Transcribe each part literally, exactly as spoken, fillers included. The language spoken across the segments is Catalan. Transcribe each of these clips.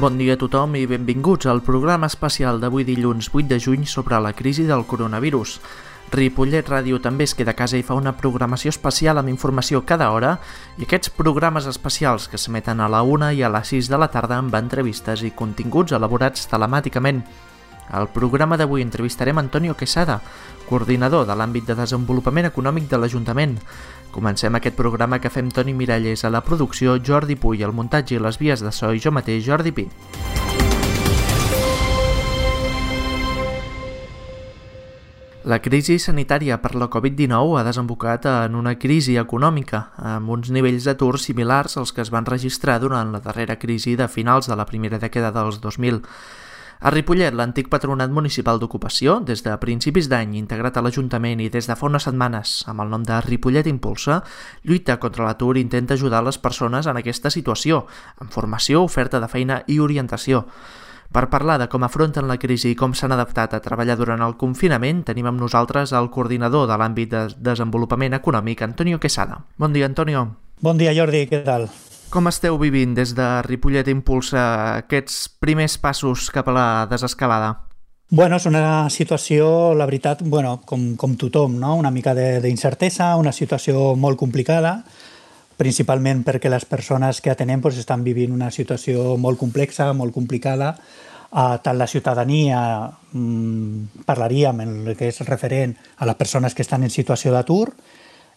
Bon dia a tothom i benvinguts al programa especial d'avui dilluns vuit de juny sobre la crisi del coronavirus. Ripollet Ràdio també es queda a casa i fa una programació especial amb informació cada hora i aquests programes especials que s'emeten a la una i a les sis de la tarda amb entrevistes i continguts elaborats telemàticament. Al programa d'avui entrevistarem Antonio Quesada, coordinador de l'àmbit de desenvolupament econòmic de l'Ajuntament. Comencem aquest programa que fem Toni Miralles a la producció, Jordi Puy al muntatge i les vies de so i jo mateix, Jordi Pi. La crisi sanitària per la covid dinou ha desembocat en una crisi econòmica, amb uns nivells d'atur similars als que es van registrar durant la darrera crisi de finals de la primera dècada dels dos mil. A Ripollet, l'antic Patronat Municipal d'Ocupació, des de principis d'any integrat a l'Ajuntament i des de fa unes setmanes amb el nom de Ripollet Impulsa, lluita contra l'atur i intenta ajudar les persones en aquesta situació, amb formació, oferta de feina i orientació. Per parlar de com afronten la crisi i com s'han adaptat a treballar durant el confinament, tenim amb nosaltres el coordinador de l'àmbit de desenvolupament econòmic, Antonio Quesada. Bon dia, Antonio. Bon dia, Jordi, què tal? Com esteu vivint des de Ripollet Impulsa aquests primers passos cap a la desescalada? Bueno, és una situació, la veritat, bueno, com, com tothom, no? Una mica d'incertesa, una situació molt complicada, principalment perquè les persones que atenem pues, estan vivint una situació molt complexa, molt complicada. Uh, tant la ciutadania, um, parlaríem en el que és referent a les persones que estan en situació d'atur,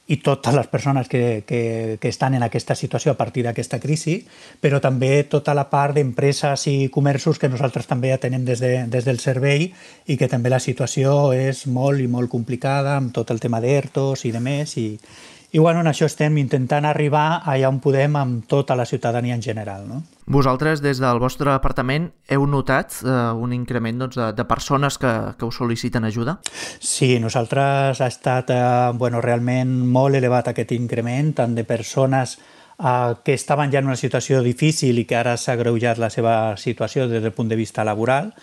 i totes les persones que, que, que estan en aquesta situació a partir d'aquesta crisi, però també tota la part d'empreses i comerços que nosaltres també atenem des, de, des del servei i que també la situació és molt i molt complicada amb tot el tema d'ERTOs i de més. I, i bueno, en això estem intentant arribar allà on podem amb tota la ciutadania en general, no? Vosaltres, des del vostre departament, heu notat eh, un increment doncs, de, de persones que, que us sol·liciten ajuda? Sí, nosaltres ha estat eh, bueno, realment molt elevat aquest increment, tant de persones eh, que estaven ja en una situació difícil i que ara s'ha agreujat la seva situació des del punt de vista laboral,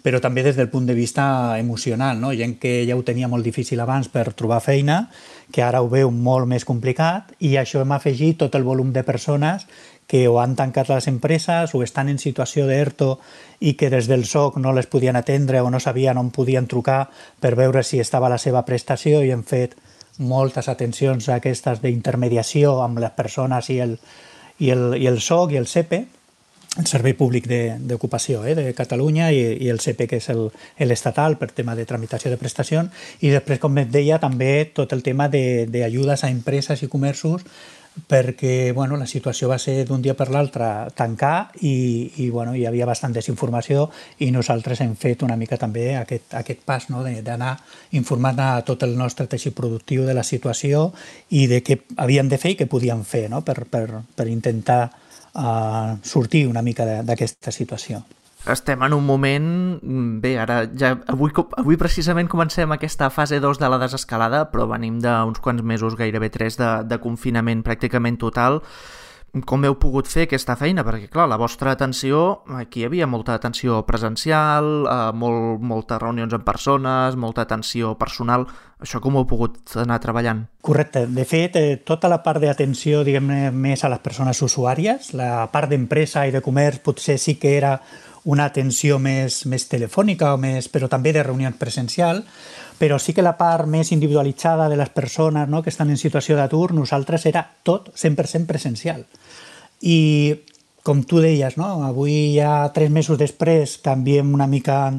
però també des del punt de vista emocional, no? Gent que ja ho tenia molt difícil abans per trobar feina, que ara ho veu molt més complicat, i això hem afegit tot el volum de persones que o han tancat les empreses o estan en situació d'ERTO i que des del S O C no les podien atendre o no sabien on podien trucar per veure si estava la seva prestació, i hem fet moltes atencions aquestes d'intermediació amb les persones i el, i el, i el S O C i el S E P E, el Servei Públic d'Ocupació eh, de Catalunya, i, i el S E P E, que és l'estatal per tema de tramitació de prestacions, i després, com et deia, també tot el tema d'ajudes a empreses i comerços, perquè bueno, la situació va ser d'un dia per l'altre tancar i, i bueno, hi havia bastant desinformació, i nosaltres hem fet una mica també aquest, aquest pas, no? D'anar informant a tot el nostre teixit productiu de la situació i de què havien de fer i què podien fer, no? per, per, per intentar uh, sortir una mica d'aquesta situació. Estem en un moment... Bé, ara ja avui, avui precisament comencem aquesta fase dos de la desescalada, però venim d'uns quants mesos, gairebé tres, de, de confinament pràcticament total. Com heu pogut fer aquesta feina? Perquè, clar, la vostra atenció, aquí hi havia molta atenció presencial, eh, molt, moltes reunions en persones, molta atenció personal. Això com ho heu pogut anar treballant? Correcte. De fet, eh, tota la part d'atenció, diguem-ne, més a les persones usuàries, la part d'empresa i de comerç potser sí que era una atenció més, més telefònica, o més, però també de reunió presencial, però sí que la part més individualitzada de les persones, no, que estan en situació d'atur, nosaltres era tot cent per cent presencial. I com tu deies, no, avui ja tres mesos després canviem una mica,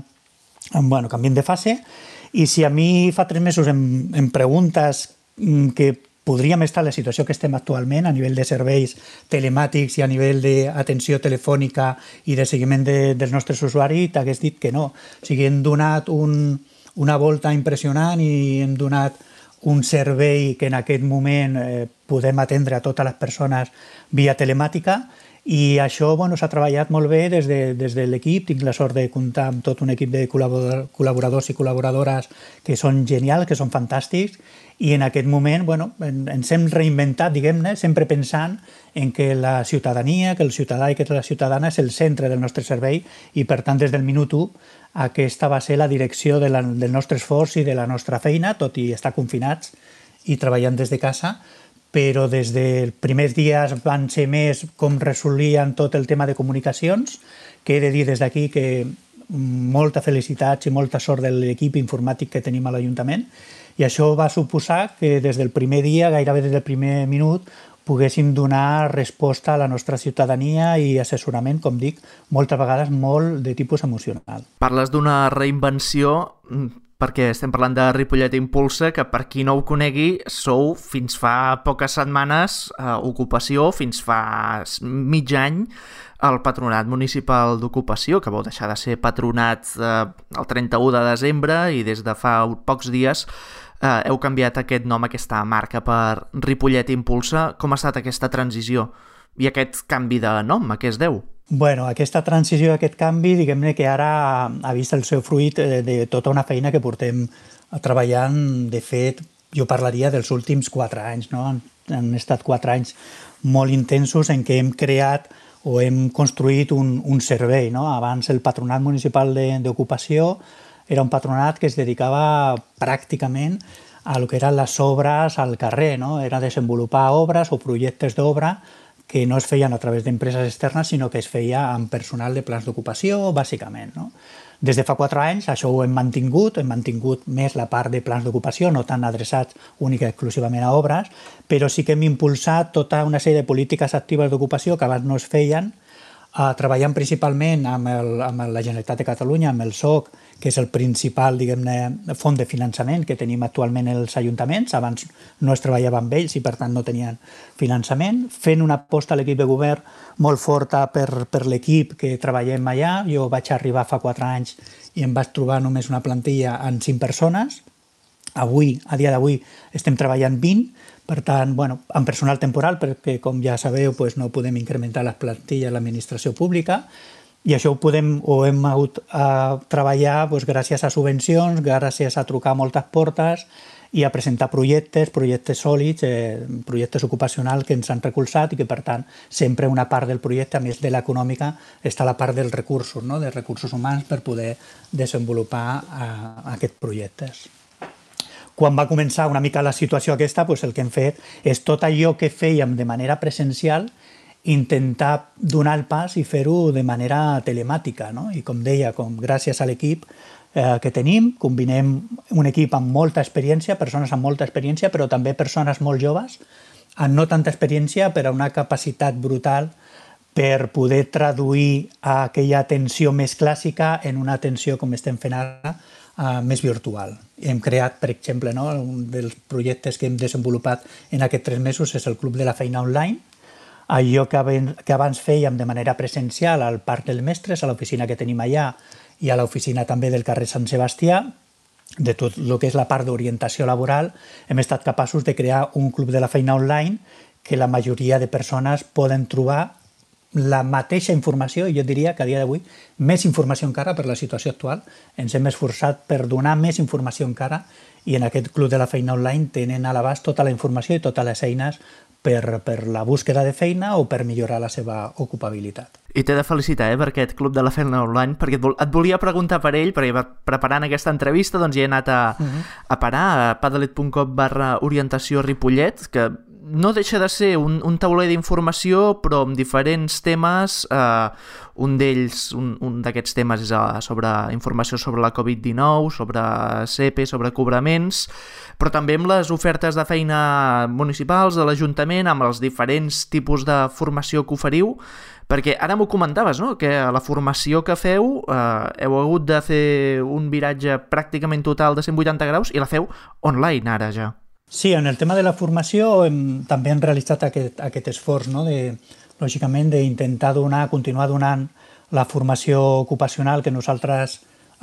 bueno, canviem de fase, i si a mi fa tres mesos em, em preguntes que podríem estar en la situació que estem actualment a nivell de serveis telemàtics i a nivell d'atenció telefònica i de seguiment de, dels nostres usuaris, t'hagués dit que no. O sigui, hem donat un, una volta impressionant i hem donat un servei que en aquest moment eh, podem atendre a totes les persones via telemàtica, i això bueno, s'ha treballat molt bé des de, des de l'equip. Tinc la sort de comptar amb tot un equip de col·laboradors i col·laboradores que són genials, que són fantàstics, i en aquest moment bueno, ens hem reinventat, diguem-ne, sempre pensant en que la ciutadania, que el ciutadà i que la ciutadana és el centre del nostre servei, i per tant des del minut u aquesta va ser la direcció de la, del nostre esforç i de la nostra feina, tot i estar confinats i treballant des de casa, però des dels primers dies van ser més com resolien tot el tema de comunicacions, que he de dir des d'aquí que molta felicitats i molta sort de l'equip informàtic que tenim a l'Ajuntament, i això va suposar que des del primer dia, gairebé des del primer minut, poguéssim donar resposta a la nostra ciutadania i assessorament, com dic, moltes vegades molt de tipus emocional. Parles d'una reinvenció perquè estem parlant de Ripollet Impulsa, que per qui no ho conegui, sou fins fa poques setmanes eh, ocupació, fins fa mig any el Patronat Municipal d'Ocupació, que vau deixar de ser patronat eh, el trenta-u de desembre i des de fa pocs dies eh, heu canviat aquest nom, aquesta marca, per Ripollet Impulsa. Com ha estat aquesta transició i aquest canvi de nom? A què es deu? Bueno, aquesta transició, aquest canvi, diguem-ne que ara ha vist el seu fruit de, de tota una feina que portem treballant. De fet, jo parlaria dels últims quatre anys, no? Han, han estat quatre anys molt intensos en què hem creat o hem construït un, un servei, no? Abans el Patronat Municipal d'Ocupació era un patronat que es dedicava pràcticament a lo que eren les obres al carrer, no? Era desenvolupar obres o projectes d'obra que no es feien a través d'empreses externes, sinó que es feia amb personal de plans d'ocupació, bàsicament, no? Des de fa quatre anys això ho hem mantingut, hem mantingut més la part de plans d'ocupació, no tan adreçats únicament exclusivament a obres, però sí que hem impulsat tota una sèrie de polítiques actives d'ocupació que abans no es feien, eh, treballant principalment amb, el, amb la Generalitat de Catalunya, amb el S O C, que és el principal, diguem-ne, font de finançament que tenim actualment els ajuntaments. Abans no es treballava amb ells i, per tant, no tenien finançament. Fent una aposta a l'equip de govern molt forta per, per l'equip que treballem allà. Jo vaig arribar fa quatre anys i em vaig trobar només una plantilla amb cinc persones. Avui, a dia d'avui, estem treballant vint, per tant, bueno, amb personal temporal, perquè, com ja sabeu, doncs no podem incrementar les plantilles a l'administració pública, i això ho podem o hem hagut a treballar doncs, gràcies a subvencions, gràcies a trucar a moltes portes i a presentar projectes, projectes sòlids, eh, projectes ocupacionals que ens han recolzat i que, per tant, sempre una part del projecte, a més de l'econòmica, està la part dels recursos, no? Dels recursos humans per poder desenvolupar eh, aquests projectes. Quan va començar una mica la situació aquesta, doncs el que hem fet és tot allò que fèiem de manera presencial, intentar donar el pas i fer-ho de manera telemàtica, no? I com deia, com gràcies a l'equip eh, que tenim, combinem un equip amb molta experiència, persones amb molta experiència, però també persones molt joves, amb no tanta experiència, però una capacitat brutal per poder traduir aquella atenció més clàssica en una atenció, com estem fent ara, eh, més virtual. Hem creat, per exemple, no? Un dels projectes que hem desenvolupat en aquests tres mesos és el Club de la Feina Online, allò que abans fèiem de manera presencial al Parc dels Mestres, a l'oficina que tenim allà i a l'oficina també del carrer Sant Sebastià, de tot el que és la part d'orientació laboral, hem estat capaços de crear un club de la feina online que la majoria de persones poden trobar la mateixa informació, i jo diria que a dia d'avui més informació encara per la situació actual. Ens hem esforçat per donar més informació encara i en aquest club de la feina online tenen a l'abast tota la informació i totes les eines per, per la búsqueda de feina o per millorar la seva ocupabilitat. I t'he de felicitar eh, per aquest Club de la Feina Online, perquè et, vol, et volia preguntar per ell, perquè preparant aquesta entrevista doncs, hi he anat a, uh-huh. a parar a padalet punt com barra orientació Ripollet, que no deixa de ser un, un tauler d'informació, però amb diferents temes. Eh, un d'ells, un, un d'aquests temes és sobre informació sobre la covid dinou, sobre C E P, sobre cobraments, però també amb les ofertes de feina municipals de l'Ajuntament, amb els diferents tipus de formació que oferiu, perquè ara m'ho comentaves, no?, que a la formació que feu eh, heu hagut de fer un viratge pràcticament total de cent vuitanta graus i la feu online ara ja. Sí, en el tema de la formació hem, també hem realitzat aquest, aquest esforç, no?, de, lògicament, d'intentar donar, continuar donant la formació ocupacional que nosaltres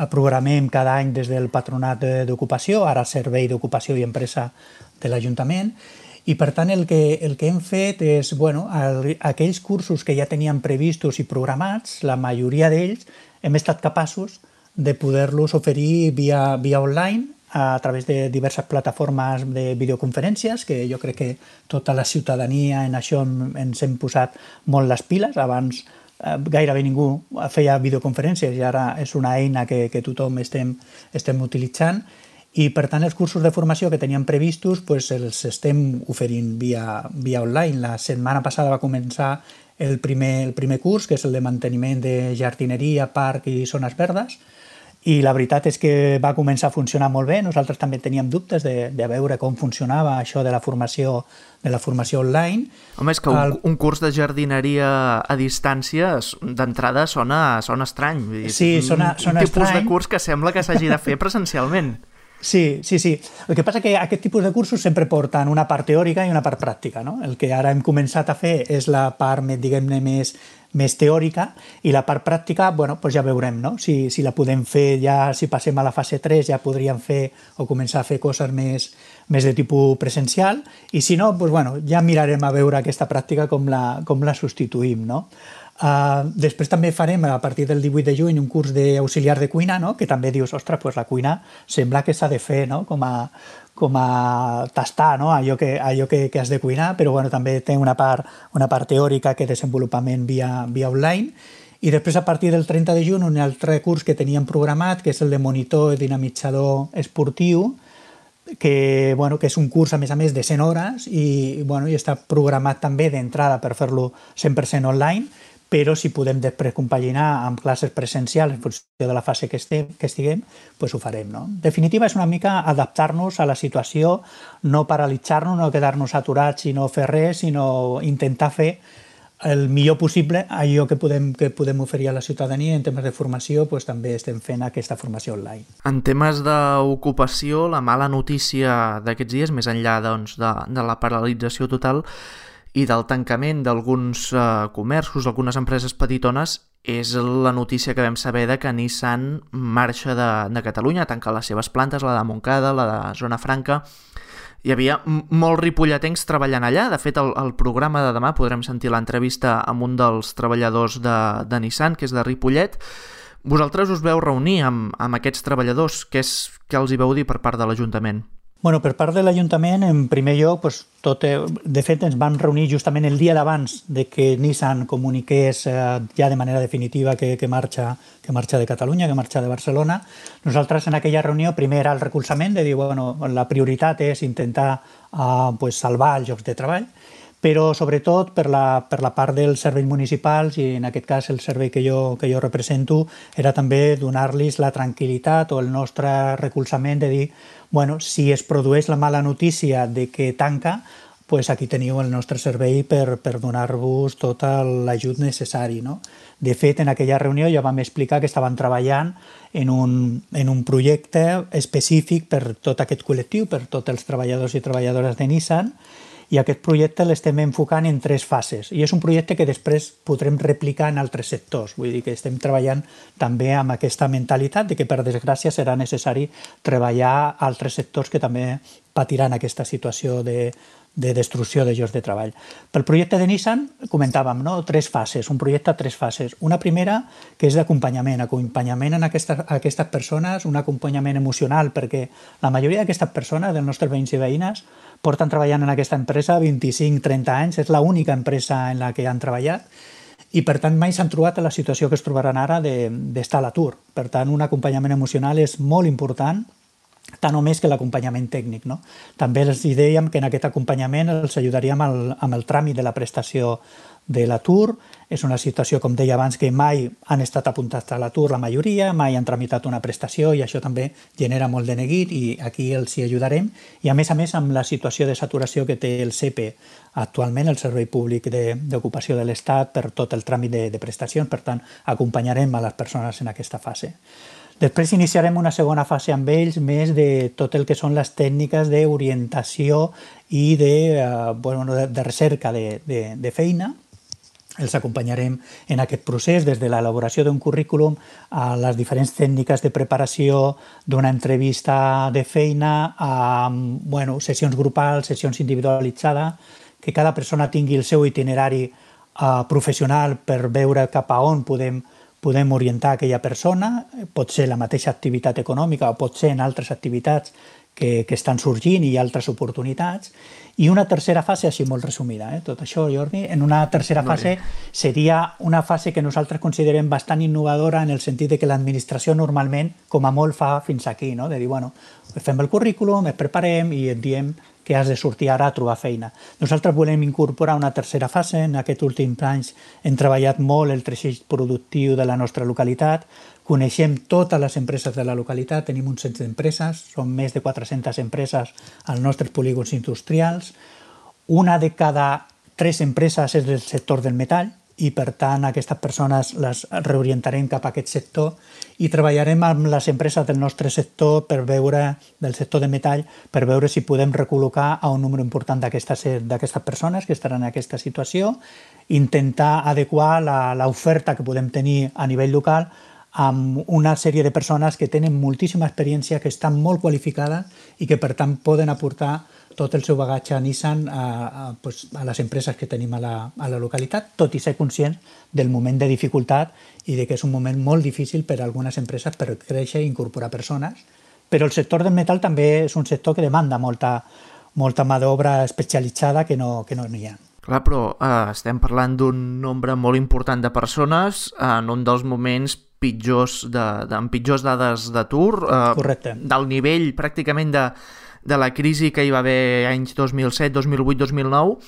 programem cada any des del Patronat d'Ocupació, ara Servei d'Ocupació i Empresa de l'Ajuntament, i per tant el que, el que hem fet és, bueno, el, aquells cursos que ja teníem previstos i programats, la majoria d'ells hem estat capaços de poder-los oferir via, via online, a través de diverses plataformes de videoconferències, que jo crec que tota la ciutadania en això ens hem posat molt les piles. Abans eh, gairebé ningú feia videoconferències i ara és una eina que, que tothom estem, estem utilitzant. i per tant els cursos de formació que teníem previstos pues, els estem oferint via, via online. La setmana passada va començar el primer, el primer curs, que és el de manteniment de jardineria, parc i zones verdes, i la veritat és que va començar a funcionar molt bé. Nosaltres també teníem dubtes de, de veure com funcionava això de la formació, de la formació online. Home, és que un, el... un curs de jardineria a distància d'entrada sona, sona estrany. Sí, sona, sona un tipus estrany. de curs que sembla que s'hagi de fer presencialment. Sí, sí, sí. El que passa que aquest tipus de cursos sempre porten una part teòrica i una part pràctica, no? El que ara hem començat a fer és la part, diguem-ne, més, més teòrica, i la part pràctica, bueno, doncs ja veurem, no? Si, si la podem fer ja, si passem a la fase tres, ja podríem fer o començar a fer coses més, més de tipus presencial, i si no, doncs, bueno, ja mirarem a veure aquesta pràctica com la, com la substituïm, no? Uh, després també farem a partir del divuit de juny un curs d'auxiliar de cuina, no? Que també dius, ostres, pues la cuina sembla que s'ha de fer, no? com, a, com a tastar, no? allò, que, allò que, que has de cuinar, però bueno, també té una part, una part teòrica que desenvolupament via, via online. I després a partir del trenta de juny un altre curs que teníem programat, que és el de monitor i dinamitzador esportiu, que, bueno, que és un curs a més a més de cent hores i, bueno, i està programat també d'entrada per fer-lo cent per cent online, però si podem després compaginar amb classes presencials en funció de la fase que, estem, que estiguem, pues ho farem. No? En definitiva, és una mica adaptar-nos a la situació, no paralitzar-nos, no quedar-nos aturats i no fer res, sinó intentar fer el millor possible allò que podem, que podem oferir a la ciutadania. En temes de formació, pues, també estem fent aquesta formació online. En temes d'ocupació, la mala notícia d'aquests dies, més enllà doncs, de, de la paralització total i del tancament d'alguns eh, comerços, algunes empreses petitones, és la notícia que vam saber de que Nissan marxa de, de Catalunya, tanca les seves plantes, la de Montcada, la de Zona Franca. Hi havia molts ripolletens treballant allà. De fet, el, el programa de demà podrem sentir l'entrevista amb un dels treballadors de, de Nissan, que és de Ripollet. Vosaltres us veu reunir amb, amb aquests treballadors. Què, és, què els hi veu dir per part de l'Ajuntament? Bueno, per part de l'Ajuntament, en primer lloc, pues, tot, de fet, ens vam reunir justament el dia d'abans de que Nissan comuniqués eh, ja de manera definitiva que, que, marxa, que marxa de Catalunya, que marxa de Barcelona. Nosaltres en aquella reunió primer era el recolzament, de dir, bueno, la prioritat és intentar eh, pues, salvar els llocs de treball, però sobretot per la, per la part dels serveis municipals, i en aquest cas el servei que jo, que jo represento, era també donar-los la tranquil·litat o el nostre recolzament de dir, bueno, si es produeix la mala notícia de que tanca, pues aquí teniu el nostre servei per, per donar-vos tot l'ajut necessari. No? De fet, en aquella reunió ja vam explicar que estaven treballant en un, en un projecte específic per tot aquest col·lectiu, per tots els treballadors i treballadores de Nissan, i aquest projecte l'estem enfocant en tres fases. I és un projecte que després podrem replicar en altres sectors. Vull dir que estem treballant també amb aquesta mentalitat de que, per desgràcia, serà necessari treballar altres sectors que també patiran aquesta situació de, de destrucció de llocs de treball. Pel projecte de Nissan comentàvem, no? Tres fases, un projecte a tres fases. Una primera, que és d'acompanyament, acompanyament en aquestes, a aquestes persones, un acompanyament emocional, perquè la majoria d'aquestes persones, dels nostres veïns i veïnes, porten treballant en aquesta empresa vint-i-cinc trenta anys, és l'única empresa en la que han treballat, i per tant mai s'han trobat en la situació que es trobaran ara d'estar a l'atur. Per tant, un acompanyament emocional és molt important, tant o més que l'acompanyament tècnic. No? També els dèiem que en aquest acompanyament els ajudaríem amb el, amb el tràmit de la prestació de l'atur. És una situació, com deia abans, que mai han estat apuntats a l'atur la majoria, mai han tramitat una prestació, i això també genera molt de neguit, i aquí els hi ajudarem. I a més a més, amb la situació de saturació que té el S E P E actualment, el Servei Públic d'Ocupació de l'Estat, per tot el tràmit de, de prestacions, per tant, acompanyarem a les persones en aquesta fase. Després iniciarem una segona fase amb ells, més de tot el que són les tècniques d'orientació i de, eh, bueno, de, de recerca de, de, de feina. Els acompanyarem en aquest procés, des de l'elaboració d'un currículum a les diferents tècniques de preparació d'una entrevista de feina, a bueno, sessions grupals, sessions individualitzades, que cada persona tingui el seu itinerari uh, professional per veure cap a on podem, podem orientar aquella persona. Pot ser la mateixa activitat econòmica o pot ser en altres activitats que, que estan sorgint i altres oportunitats. I una tercera fase, així molt resumida, eh? Tot això, Jordi, en una tercera fase seria una fase que nosaltres considerem bastant innovadora en el sentit de que l'administració normalment, com a molt, fa fins aquí, no? De dir, bueno, fem el currículum, ens preparem i et diem que has de sortir ara a trobar feina. Nosaltres volem incorporar una tercera fase. En aquests últims anys hem treballat molt el teixit productiu de la nostra localitat, coneixem totes les empreses de la localitat, tenim un cens d'empreses, són més de quatre-centes empreses als nostres polígons industrials. Una de cada tres empreses és del sector del metall i, per tant, aquestes persones les reorientarem cap a aquest sector i treballarem amb les empreses del nostre sector per veure, del sector de metall, per veure si podem recol·locar a un número important d'aquestes persones que estaran en aquesta situació, intentar adequar l'oferta que podem tenir a nivell local amb una sèrie de persones que tenen moltíssima experiència, que estan molt qualificades i que, per tant, poden aportar tot el seu bagatge a Nissan a, a, pues, a les empreses que tenim a la, a la localitat, tot i ser conscients del moment de dificultat i de que és un moment molt difícil per a algunes empreses per créixer i incorporar persones. Però el sector del metall també és un sector que demanda molta, molta mà d'obra especialitzada que no, que no hi ha. Clar, però eh, estem parlant d'un nombre molt important de persones en un dels moments pitjors de, de, amb pitjors dades d'atur, eh, del nivell pràcticament de, de la crisi que hi va haver anys dos mil set, dos mil vuit, dos mil nou.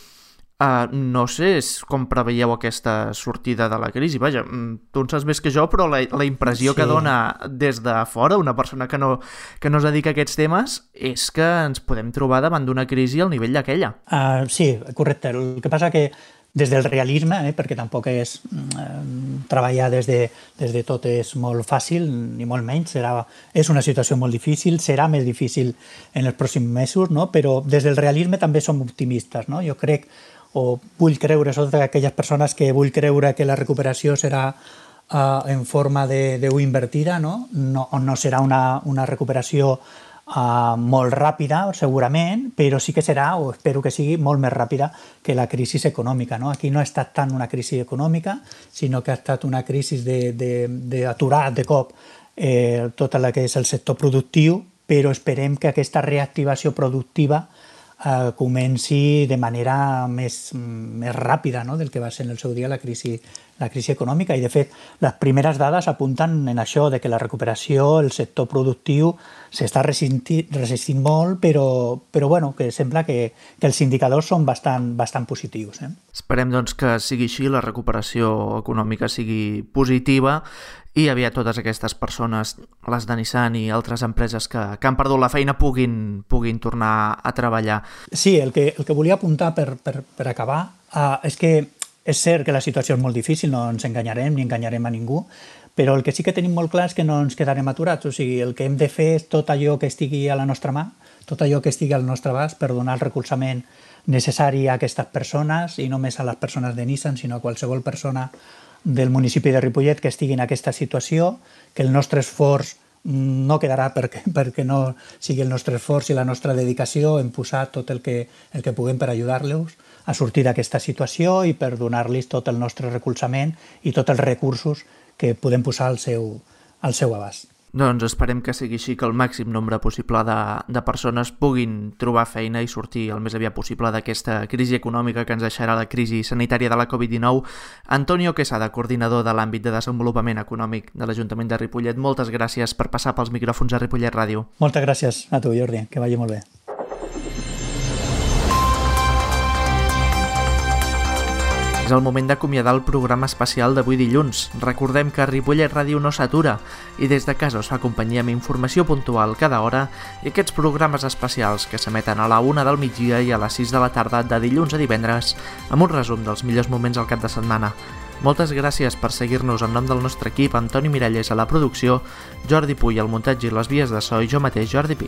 Uh, no sé com preveieu aquesta sortida de la crisi. Vaja, tu en saps més que jo, però la, la impressió sí. que dona des de fora una persona que no, que no es dedica a aquests temes és que ens podem trobar davant d'una crisi al nivell d'aquella. Uh, sí, correcte. El que passa que des del realisme, eh, perquè tampoc és eh, treballar des de, des de tot és molt fàcil, ni molt menys, serà, és una situació molt difícil, serà més difícil en els pròxims mesos, no? Però des del realisme també som optimistes, no? Jo crec, o vull creure, són aquelles persones que vull creure que la recuperació serà uh, en forma de, de U invertida, no? No, no serà una, una recuperació Uh, molt ràpida, segurament, però sí que serà, o espero que sigui, molt més ràpida que la crisi econòmica. No? Aquí no ha estat tant una crisi econòmica, sinó que ha estat una crisi d'aturar de, de, de cop eh, tot el que és el sector productiu, però esperem que aquesta reactivació productiva eh, comenci de manera més, més ràpida, no? Del que va ser en el seu dia la crisi la crisi econòmica, i de fet les primeres dades apunten en això, de que la recuperació, el sector productiu s'està resistint, resistint molt, però, però bueno, que sembla que, que els indicadors són bastant, bastant positius. Eh? Esperem doncs que sigui així, la recuperació econòmica sigui positiva i aviat totes aquestes persones, les de Nissan i altres empreses que, que han perdut la feina, puguin, puguin tornar a treballar. Sí, el que, el que volia apuntar per, per, per acabar uh, és que és cert que la situació és molt difícil, no ens enganyarem ni enganyarem a ningú, però el que sí que tenim molt clar és que no ens quedarem aturats. O sigui, el que hem de fer és tot allò que estigui a la nostra mà, tot allò que estigui al nostre abast per donar el recolzament necessari a aquestes persones, i no només a les persones de Nissan, sinó a qualsevol persona del municipi de Ripollet que estigui en aquesta situació, que el nostre esforç no quedarà perquè, perquè no sigui el nostre esforç i la nostra dedicació en posar tot el que, el que puguem per ajudar-los a sortir d'aquesta situació i per donar-los tot el nostre recolzament i tots els recursos que podem posar al seu, al seu abast. Doncs esperem que sigui així, que el màxim nombre possible de, de persones puguin trobar feina i sortir el més aviat possible d'aquesta crisi econòmica que ens deixarà la crisi sanitària de la covid dinou. Antonio Quesada, coordinador de l'àmbit de desenvolupament econòmic de l'Ajuntament de Ripollet, moltes gràcies per passar pels micròfons a Ripollet Ràdio. Moltes gràcies a tu, Jordi, que vagi molt bé. És el moment d'acomiadar el programa especial d'avui dilluns. Recordem que Ripollet Ràdio no s'atura i des de casa us fa companyia amb informació puntual cada hora i aquests programes especials que s'emeten a la una del migdia i a les sis de la tarda de dilluns a divendres amb un resum dels millors moments al cap de setmana. Moltes gràcies per seguir-nos en nom del nostre equip, Antoni Miralles a la producció, Jordi Puy al muntatge i les vies de so i jo mateix, Jordi Pi.